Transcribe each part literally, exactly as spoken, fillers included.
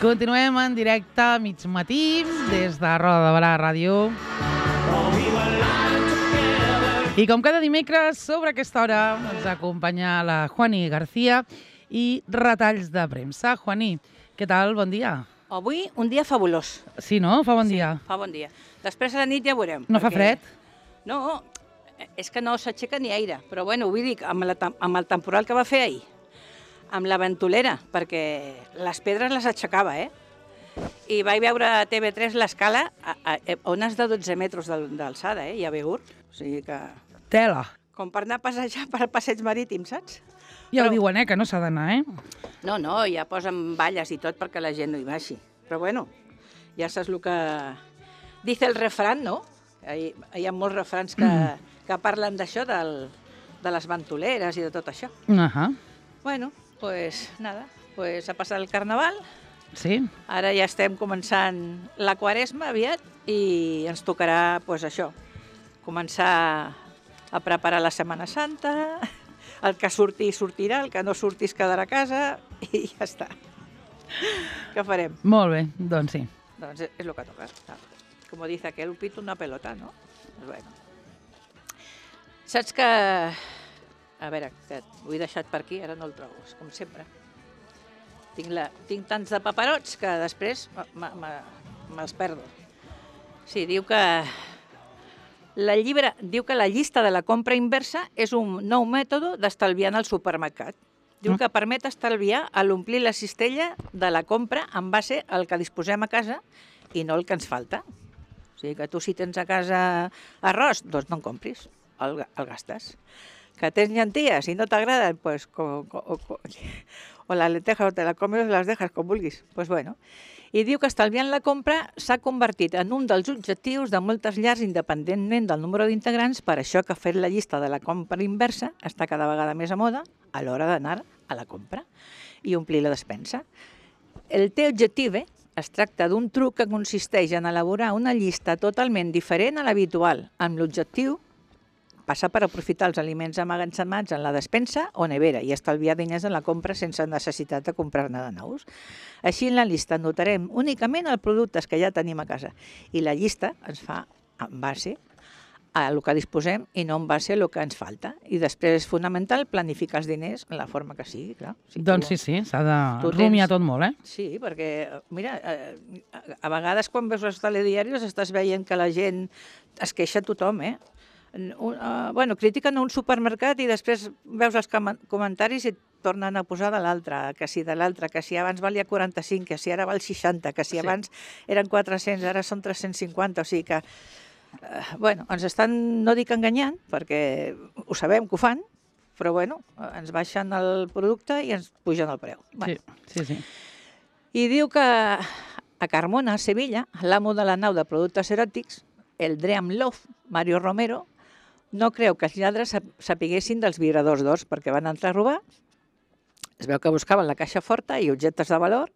Continuem en directe a mig matí des de Roda de Barà Ràdio. I com cada dimecres, sobre aquesta hora, ens acompanya la Juani García i retalls de premsa. Juani, què tal? Bon dia. Avui un dia fabulós. Sí, no? Fa bon sí, dia. fa bon dia. Després a la nit ja veurem. No fa fred? No, és que no s'aixeca ni aire. Però bueno, vull dir, amb, la, amb el temporal que va fer ahir, amb la ventolera, perquè les pedres les aixecava, eh? I vaig veure a T V tres l'escala a, a, a ones de dotze metres d'alçada, eh? I a Begur. O sigui que... Tela. Com per anar a passejar per al passeig marítim, saps? Ja Però... ho diuen, eh, que no s'ha d'anar, eh? No, no, ja posen valles i tot perquè la gent no hi baixi. Però bueno, ja saps el que... Dice el refrán, no? Hi, hi ha molts refrans que, mm. que parlen d'això, de les ventoleres i de tot això. Uh -huh. Bueno, pues nada, pues ha passat el Carnaval. Sí. Ara ja estem començant la Quaresma aviat i ens tocarà, pues això, començar a preparar la Setmana Santa, el que surti sortirà, el que no surti es quedarà a casa i ja està. Què farem? Molt bé, doncs sí. Doncs és el que toca. Com dice aquel, pito una pelota, no? Pues bueno. Saps que... A veure, que ho he deixat per aquí, ara no el trobo, com sempre. Tinc, la... Tinc tants de paperots que després me'ls perdo. Sí, diu que... La llibre diu que la llista de la compra inversa és un nou mètode d'estalviar en el supermercat. Diu que permet estalviar a l'omplir la cistella de la compra en base al que disposem a casa i no el que ens falta. O sigui que tu si tens a casa arròs, doncs no en compris, el, el gastes. Que tens llenties i no t'agraden, pues, co, co, co, o la lenteja o te la comes o les dejas, com vulguis. Pues bueno. I diu que estalviant la compra s'ha convertit en un dels objectius de moltes llars independentment del número d'integrants, per això que fer la llista de la compra inversa està cada vegada més a moda a l'hora d'anar a la compra i omplir la despensa. El teu objectiu eh, es tracta d'un truc que consisteix en elaborar una llista totalment diferent a l'habitual, amb l'objectiu passar per aprofitar els aliments emmagatzemats en la despensa o nevera i estalviar diners en la compra sense necessitat de comprar-ne de nous. Així en la llista notarem únicament els productes que ja tenim a casa i la llista ens fa en base a el que disposem i no en base a el que ens falta. I després és fonamental planificar els diners en la forma que sigui, clar. Si doncs tu, sí, sí, s'ha de rumiar tot molt, eh? Sí, perquè, mira, a vegades quan veus els telediaris estàs veient que la gent es queixa tothom, eh? Un, uh, bueno, critiquen un supermercat i després veus els comentaris i et tornen a posar de l'altre, que si de l'altre, que si abans valia quaranta-cinc, que si ara val seixanta, que si abans eren quatre-cents, ara són tres-cents cinquanta, o sigui que, uh, bueno, ens estan, no dic enganyant, perquè ho sabem que ho fan, però bueno, ens baixen el producte i ens pugen el preu. Bueno. Sí, sí, sí. I diu que a Carmona, a Sevilla, l'amo de la nau de productes eròtics, el Dream Love, Mario Romero, no creu que els lladres sapiguessin dels vibradors d'ors perquè van entrar a robar. Es veu que buscaven la caixa forta i objectes de valor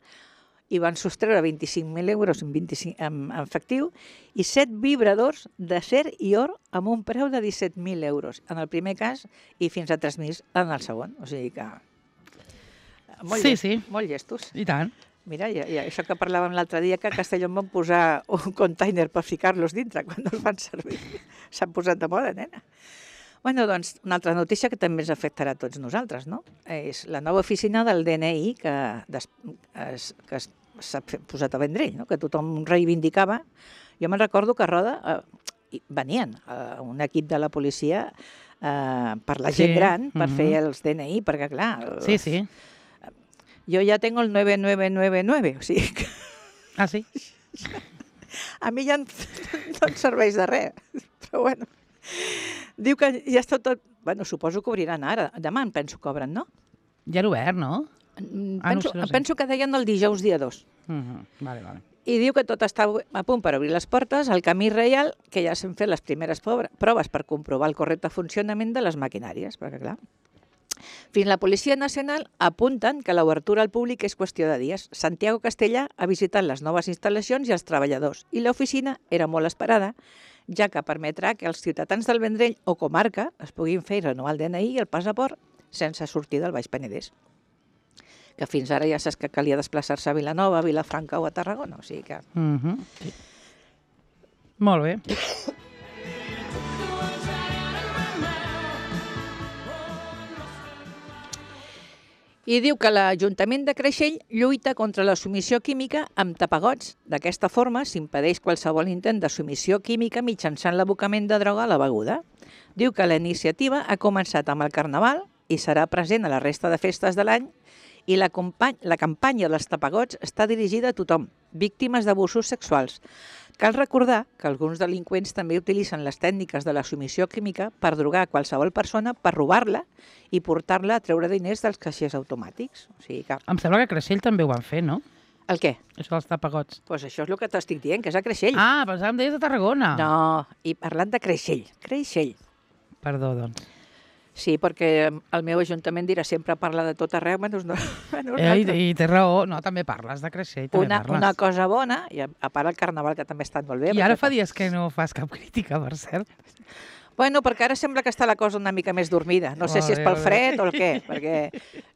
i van sostreure vint-i-cinc mil euros en, vint-i-cinc, en, en efectiu i set vibradors d'acer i or amb un preu de disset mil euros en el primer cas i fins a tres mil en el segon. O sigui que... Molt sí, llest, sí. Molt llestos. I tant. Mira, i, i això que parlàvem l'altre dia, que a Castelló em van posar un container per ficar-los dintre quan no els fan servir. S'han posat de moda, nena. Bueno, doncs, una altra notícia que també ens afectarà a tots nosaltres, no? És la nova oficina del D N I que, des, es, que s'ha posat a Vendrell, no? Que tothom reivindicava. Jo me'n recordo que a Roda eh, venien eh, un equip de la policia eh, per la gent sí. gran, per mm-hmm. fer els D N I, perquè clar... Sí, sí. Jo ja tengo el nueve nueve nueve nueve, o sigui que... Ah, sí? A mi ja no em serveix de res, però bueno. Diu que ja està tot... Bueno, suposo que obriran ara. Demà em penso que obren, no? Ja era obert, no? Penso, ah, no sé, no sé. penso que deien el dijous dia dos. Uh-huh. Vale, vale. I diu que tot està a punt per obrir les portes al camí reial, que ja s'han fet les primeres proves per comprovar el correcte funcionament de les maquinàries, perquè clar... Fins la Policia Nacional apunten que l'obertura al públic és qüestió de dies. Santiago Castellà ha visitat les noves instal·lacions i els treballadors i l'oficina era molt esperada, ja que permetrà que els ciutadans del Vendrell o comarca es puguin fer i renovar el D N I i el passaport sense sortir del Baix Penedès. que fins ara ja saps que calia desplaçar-se a Vilanova, a Vilafranca o a Tarragona, o sigui que... Mhm. Sí. Molt bé. I diu que l'Ajuntament de Creixell lluita contra la submissió química amb tapagots. D'aquesta forma s'impedeix qualsevol intent de submissió química mitjançant l'abocament de droga a la beguda. Diu que la iniciativa ha començat amb el Carnaval i serà present a la resta de festes de l'any i la, la campanya dels tapagots està dirigida a tothom, víctimes d'abusos sexuals. Cal recordar que alguns delinqüents també utilitzen les tècniques de la submissió química per drogar qualsevol persona, per robar-la i portar-la a treure diners dels caixers automàtics. O sigui que... Em sembla que a Creixell també ho van fer, no? El què? Això dels tapagots. Doncs pues això és el que t'estic dient, que és a Creixell. Ah, pensava que em deies de Tarragona. No, i parlant de Creixell. Creixell. Perdó, doncs. Sí, perquè el meu ajuntament dirà sempre parla de tot arreu, menys no. Eh, i, I té raó, no, també parles de Creixell, també una, parles. una cosa bona, i a, a part el Carnaval, que també ha estat molt bé. I ara fa dies que no fas cap crítica, per cert. Bueno, perquè ara sembla que està la cosa una mica més dormida. No sé Molt si és bé, pel molt bé. fred o el què, perquè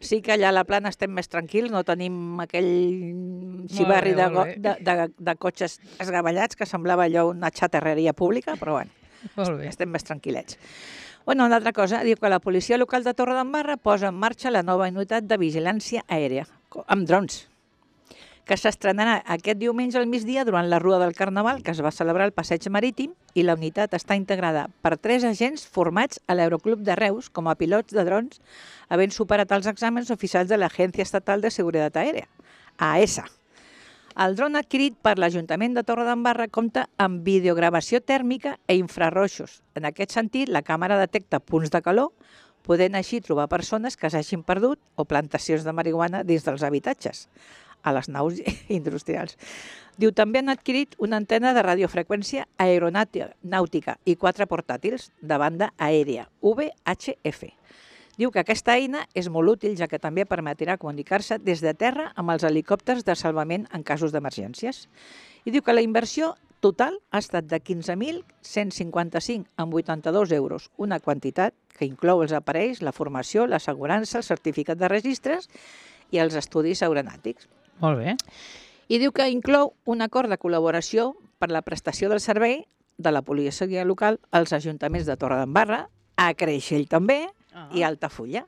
sí que allà a la plana estem més tranquils, no tenim aquell xivarri bé, de, molt go- de, de, de cotxes esgavellats que semblava allò una xaterreria pública, però bueno, Molt bé. estem més tranquil·lets. Bueno, una altra cosa, diu que la policia local de Torredembarra posa en marxa la nova unitat de vigilància aèria, amb drons, que s'estrenarà aquest diumenge al migdia durant la Rua del Carnaval, que es va celebrar al Passeig Marítim, i la unitat està integrada per tres agents formats a l'Aeroclub de Reus com a pilots de drons, havent superat els exàmens oficials de l'Agència Estatal de Seguretat Aèria, A E S A. El dron adquirit per l'Ajuntament de Torredembarra compta amb videogravació tèrmica i infrarroixos. En aquest sentit, la càmera detecta punts de calor, podent així trobar persones que s'hagin perdut o plantacions de marihuana dins dels habitatges, a les naus industrials. Diu, també han adquirit una antena de radiofreqüència aeronàutica i quatre portàtils de banda aèria, V H F. Diu que aquesta eina és molt útil, ja que també permetrà comunicar-se des de terra amb els helicòpters de salvament en casos d'emergències. I diu que la inversió total ha estat de quinze mil cent cinquanta-cinc coma vuitanta-dos euros, una quantitat que inclou els aparells, la formació, l'assegurança, el certificat de registres i els estudis aeronàutics. Molt bé. I diu que inclou un acord de col·laboració per la prestació del servei de la policia local als ajuntaments de Torredembarra, a Creixell també, Ah. i Altafulla.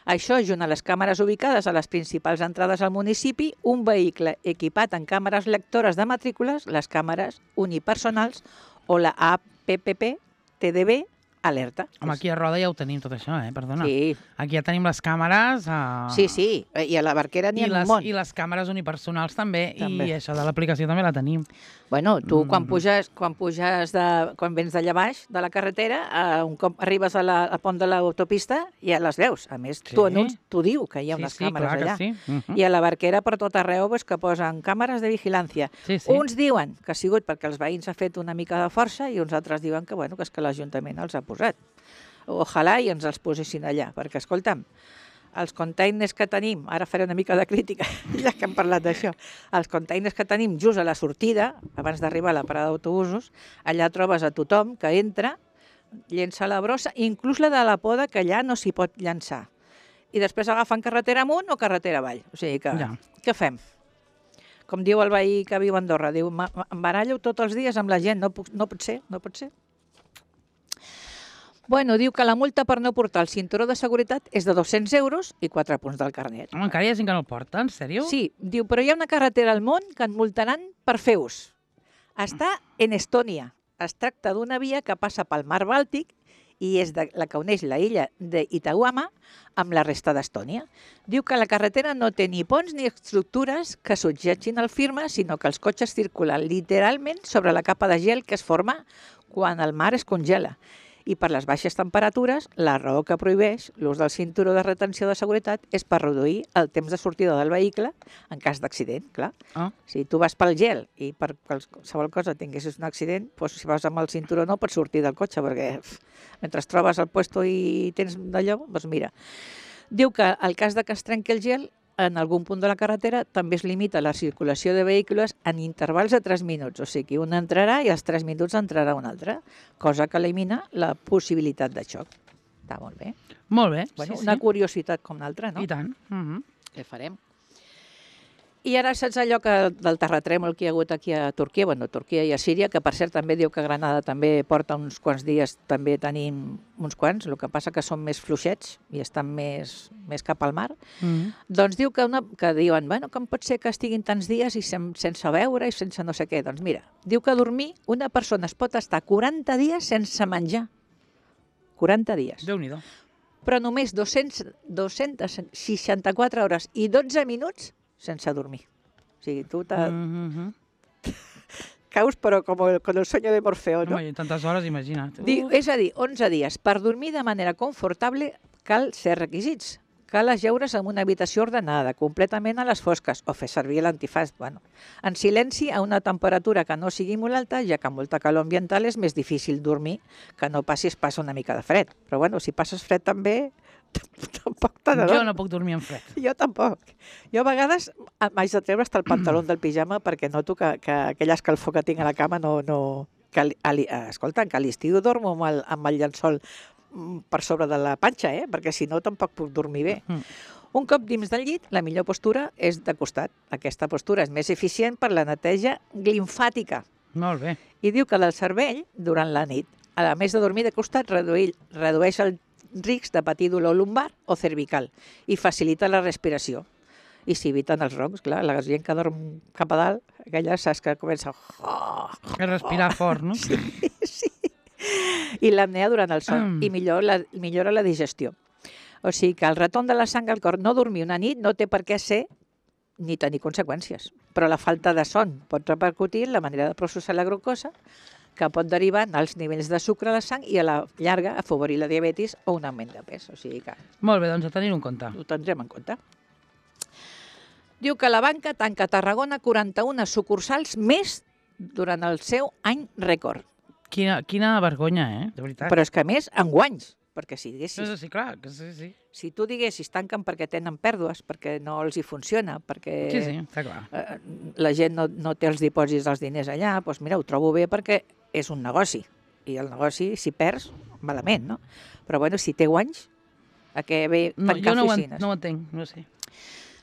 Això, junt a les càmeres ubicades a les principals entrades al municipi, un vehicle equipat amb càmeres lectores de matrícules, les càmeres unipersonals o la A P P P T D B alerta. Home, aquí a Roda ja ho tenim tot això, eh? Perdona. Sí. Aquí ja tenim les càmeres... A... Sí, sí, i a la Barquera n'hi I ha un les, munt. I les càmeres unipersonals també, També. i això de l'aplicació també la tenim. Bueno, tu Mm. quan puges, quan puges de, quan vens d'allà baix de la carretera, eh, un cop arribes a la, al pont de l'autopista, ja les veus. A més, Sí. tu anunci, t'ho diu, que hi ha Sí, unes sí, càmeres clar que allà. sí. Mhm. I a la Barquera per tot arreu pues, que posen càmeres de vigilància. Sí, sí. Uns diuen que ha sigut perquè els veïns ha fet una mica de força i uns altres diuen que, bueno, que és que l'Ajuntament els ha posat. Ojalà i ens els posessin allà, perquè, escolta'm, els containers que tenim, ara faré una mica de crítica, ja que hem parlat d'això, els containers que tenim just a la sortida, abans d'arribar a la parada d'autobusos, allà trobes a tothom que entra, llença la brossa, inclús la de la poda, que allà no s'hi pot llançar. I després agafen carretera amunt o carretera avall. O sigui que, Ja. què fem? Com diu el veí que viu a Andorra, diu, "Ma- ma- em barallo tots els dies amb la gent, no, puc, no pot ser, no pot ser. Bueno, diu que la multa per no portar el cinturó de seguretat és de dos-cents euros i quatre punts del carnet. Home, encara hi ha gent que no el porta, en sèrio? Sí, diu, però hi ha una carretera al món que et multaran per fer ús. Està en Estònia. Es tracta d'una via que passa pel mar Bàltic i és de, la que uneix la illa d'Itauama amb la resta d'Estònia. Diu que la carretera no té ni ponts ni estructures que subjectin el firme, sinó que els cotxes circulen literalment sobre la capa de gel que es forma quan el mar es congela. I per les baixes temperatures, la raó que prohibeix l'ús del cinturó de retenció de seguretat és per reduir el temps de sortida del vehicle en cas d'accident, clar. Ah. Si tu vas pel gel i per qualsevol cosa tinguessis un accident, doncs si vas amb el cinturó no pots sortir del cotxe, perquè pf, mentre trobes el puesto i tens d'allò, doncs mira. Diu que el cas de que es trenqui el gel, en algun punt de la carretera també es limita la circulació de vehicles en intervals de tres minuts. O sigui, un entrarà i als tres minuts entrarà un altre, cosa que elimina la possibilitat de xoc. Està molt bé. Molt bé, Bueno, sí, una sí. curiositat com l'altra, no? I tant. Mhm. Què farem? I ara saps allò que del terratrèmol que hi ha hagut aquí a Turquia, bueno, a Turquia i a Síria, que per cert també diu que Granada també porta uns quants dies, també tenim uns quants, el que passa que són més fluixets i estan més, més cap al mar. Mm. Doncs diu que, una, que diuen, bueno, com pot ser que estiguin tants dies i sen, sense beure i sense no sé què? Doncs mira, diu que a dormir una persona es pot estar quaranta dies sense menjar. quaranta dies. Déu-n'hi-do. Però només dos-centes seixanta-quatre hores i dotze minuts sense dormir. O sigui, tu te... Mm-hmm. caus, però com el, com el sueño de Morfeo, no? Home, i tantes hores, imagina't. Diu, és a dir, onze dies. Per dormir de manera confortable cal ser requisits. Cal ajeure's en una habitació ordenada, completament a les fosques, o fer servir l'antifàs, bueno, en silenci a una temperatura que no sigui molt alta, ja que amb molta calor ambiental és més difícil dormir que no passis pas una mica de fred. Però bueno, si passes fred també, tampoc te n'adones. Jo no puc dormir en fred. Jo tampoc. Jo a vegades m'haig de treure hasta el pantaló del pijama perquè noto que, que aquella escalfor que tinc a la cama no... no que, a, a, escolta, que a l'estiu dormo amb el, amb el llençol per sobre de la panxa, eh? Perquè si no tampoc puc dormir bé. Mm. Un cop dins del llit, la millor postura és de costat. Aquesta postura és més eficient per la neteja limfàtica. Molt bé. I diu que del cervell, durant la nit, a més de dormir de costat, reduir, redueix el risc de patir dolor lumbar o cervical i facilita la respiració. I s'eviten els roncs, clar, la gent que dorm cap a dalt, aquella saps que comença a... A respirar fort, no? Sí, sí. I l'apnea durant el son, Mm. i millor la, millora la digestió. O sigui que el retorn de la sang al cor, no dormir una nit, no té per què ser ni tenir conseqüències. Però la falta de son pot repercutir en la manera de processar la glucosa, que pot derivar en els nivells de sucre a la sang i a la llarga afavorir la diabetis o un augment de pes. O sigui que Molt bé, doncs a tenir-ho en compte. ho tindrem en compte. Diu que la banca tanca a Tarragona quaranta-una sucursals més durant el seu any rècord. Quina, quina vergonya, eh? De veritat. Però és que a més, en guanys. Perquè si Sí, diguessis, sí, clar, que sí, sí. si tu diguessis tanquen perquè tenen pèrdues, perquè no els hi funciona, perquè Sí, sí, està clar. eh, la gent no, no té els dipòsits dels diners allà, doncs mira, ho trobo bé perquè és un negoci. I el negoci, si perds, malament, no? Però bueno, si té guanys, a què ve No, tancar jo no ho, en, oficines? no ho entenc, no ho sé.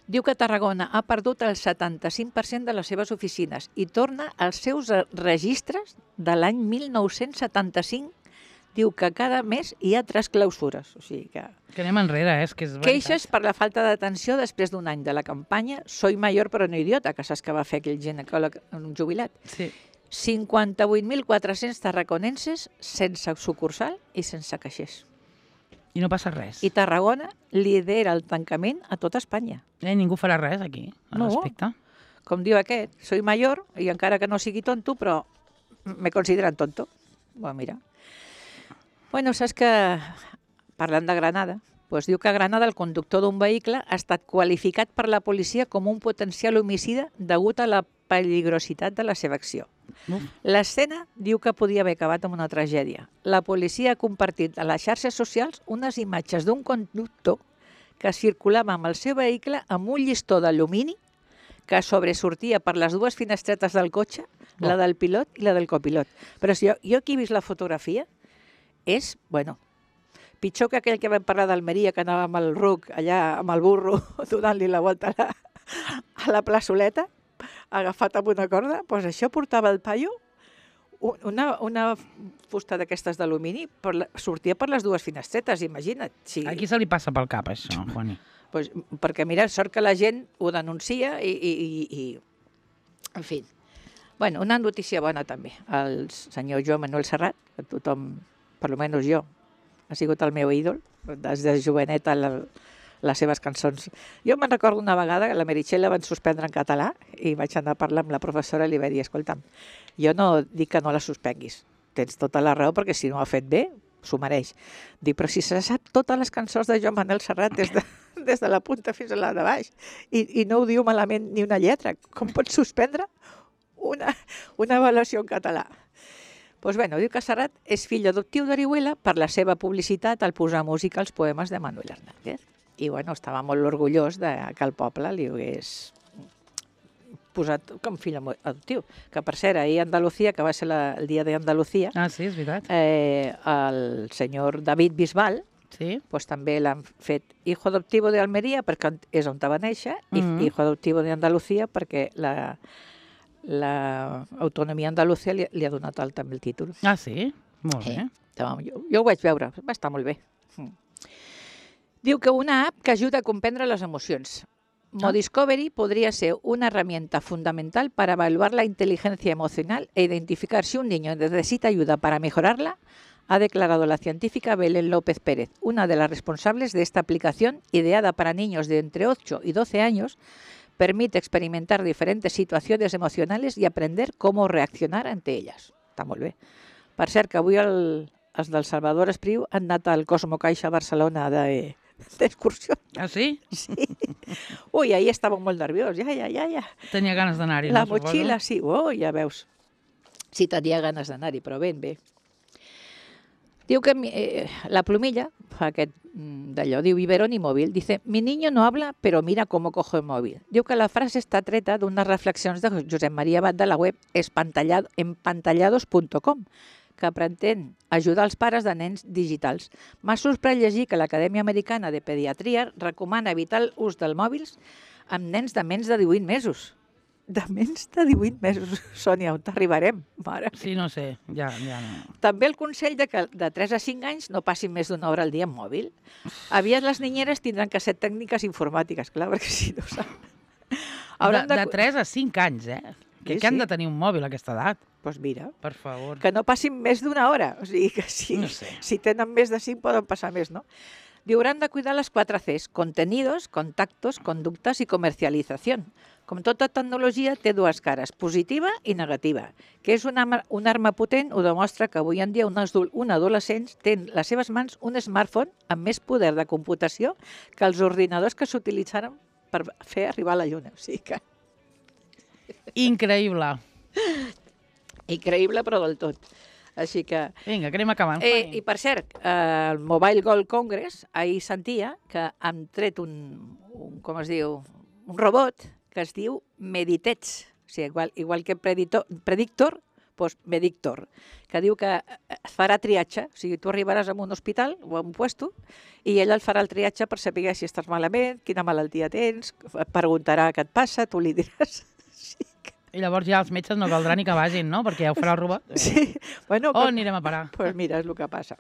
Diu que Tarragona ha perdut el setanta-cinc per cent de les seves oficines i torna als seus registres de l'any mil nou-cents setanta-cinc. Diu que cada mes hi ha tres clausures. O sigui que... Que anem enrere, eh? És que és veritat. Queixes per la falta d'atenció després d'un any de la campanya Soy mayor però no idiota, que saps que va fer aquell ginecòleg un jubilat. Sí. cinquanta-vuit mil quatre-cents tarraconenses sense sucursal i sense caixers. I no passa res. I Tarragona lidera el tancament a tota Espanya. Eh, ningú farà res aquí, al No. respecte. Com diu aquest, soy mayor i encara que no sigui tonto, però me consideren tonto. Bueno, mira. Bueno, saps que, parlant de Granada, doncs diu que a Granada el conductor d'un vehicle ha estat qualificat per la policia com un potencial homicida degut a la peligrositat de la seva acció. Uf. L'escena diu que podia haver acabat amb una tragèdia. La policia ha compartit a les xarxes socials unes imatges d'un conductor que circulava amb el seu vehicle amb un llistó d'alumini que sobresortia per les dues finestretes del cotxe, Oh. la del pilot i la del copilot. Però si jo, jo aquí he vist la fotografia, és, bueno, pitjor que aquell que vam parlar d'Almeria, que anava amb el ruc allà, amb el burro, donant-li la volta a la, a la plaçoleta, agafat amb una corda, doncs això portava el paio, una, una fusta d'aquestes d'alumini, per la- sortia per les dues finestretes, imagina't. Si, Aquí se li passa pel cap, això, Juani. doncs, perquè mira, sort que la gent ho denuncia i, i, i, i en fi. Bueno, una notícia bona també. El senyor Joan Manuel Serrat, que tothom, per almenys jo, ha sigut el meu ídol, des de joveneta la, les seves cançons. Jo me'n recordo una vegada que la Meritxell la van suspendre en català i vaig anar a parlar amb la professora i li vaig dir, escolta'm, jo no dic que no la suspenguis, tens tota la raó perquè si no ho ha fet bé, s'ho mereix. Dic, però si se sap totes les cançons de Joan Manuel Serrat des de, des de la punta fins a la de baix i, i no ho diu malament ni una lletra, com pots suspendre una, una avaluació en català? Doncs bueno, diu que Serrat és fill adoptiu d'Orihuela per la seva publicitat al posar música als poemes de Manuel Hernández. I bueno, estava molt orgullós de que el poble li hagués posat com fill adoptiu. Que per cert, ahir a Andalucía, que va ser la, el dia d'Andalucía, Ah, sí, és veritat. eh, el senyor David Bisbal, Sí. pues també l'han fet hijo adoptivo de Almeria, perquè és on va néixer, i Mhm. hijo adoptivo de Andalucía, perquè la, la autonomia andalusia li, li ha donat el, també el títol. Ah, sí? Molt bé. Eh, jo, jo ho vaig veure, va estar molt bé. Mm. Diu que una app que ajuda a comprendre les emocions. Modiscovery podría ser una herramienta fundamental para evaluar la inteligencia emocional e identificar si un niño necesita ayuda para mejorarla, ha declarado la científica Belén López Pérez, una de las responsables de esta aplicación ideada para niños de entre ocho y doce años. Permite experimentar diferentes situaciones emocionales y aprender cómo reaccionar ante ellas. Està molt bé. Per cert, que avui el, els del Salvador Espriu han anat al Cosmo Caixa Barcelona de, d'excursió. Ah, sí? Sí. Ui, ahir estava molt nerviós. Ja, ja, ja, ja. Tenia ganes d'anar-hi, La no, motxilla, suposo? sí. Oh, ja veus. Sí, tenia ganes d'anar-hi, però ben bé. Diu que eh, la plumilla, fa aquest mm, d'allò, diu Iberoni Móvil, dice, mi niño no habla, pero mira cómo cojo el móvil. Diu que la frase està treta d'unes reflexions de Josep Maria Abad de la web espantallado, empantallados punt com, que pretén ajudar els pares de nens digitals. M'ha sorprès llegir que l'Acadèmia Americana de Pediatria recomana evitar l'ús dels mòbils amb nens de menys de divuit mesos. De menys de divuit mesos, Sònia, on t'arribarem, mare? Sí, no sé, ja, ja no. També el consell de que de tres a cinc anys no passin més d'una hora al dia en mòbil. Aviat les ninyeres tindran que ser tècniques informàtiques, clar, perquè si no saben. De, de tres a cinc anys, eh? Que, Sí, que han sí. de tenir un mòbil a aquesta edat, Doncs pues mira, per favor. que no passin més d'una hora. O sigui que si, No sé. si tenen més de cinc poden passar més, no? Diu, hauran de cuidar les quatre Cs, contenidos, contactos, conductas i comercialització. Com tota tecnologia, té dues cares, positiva i negativa. Que és una, arma- una arma potent, ho demostra que avui en dia un, adol- un adolescent té en les seves mans un smartphone amb més poder de computació que els ordinadors que s'utilitzaren per fer arribar a la Lluna. O sigui que, Increïble. increïble, però del tot. Així que... Vinga, que anem acabant. Eh, Juani. I per cert, eh, el Mobile World Congress ahir sentia que han tret un, un com es diu, un robot que es diu Meditech, o sigui, igual, igual que Predictor, Predictor doncs Medictor, que diu que es farà triatge, o sigui, tu arribaràs a un hospital o a un puesto i ell el farà el triatge per saber si estàs malament, quina malaltia tens, et preguntarà què et passa, tu li diràs... Sí, que... I llavors ja els metges no caldrà ni que vagin, no? Perquè ja ho farà el robot. sí. Bueno, On anirem a parar? Pues mira, es lo que pasa.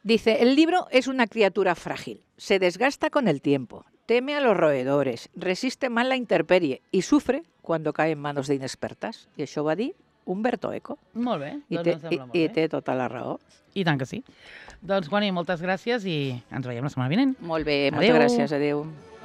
Dice, el libro es una criatura frágil, se desgasta con el tiempo, teme a los roedores, resiste mal la intemperie y sufre cuando cae en manos de inexpertas. I això va dir Umberto Eco. Molt bé, I doncs té, em sembla i, molt i bé. té tota la raó. I tant que sí. Doncs, Juani, moltes gràcies i ens veiem la setmana vinent. Molt bé, Adéu. moltes gràcies, adéu.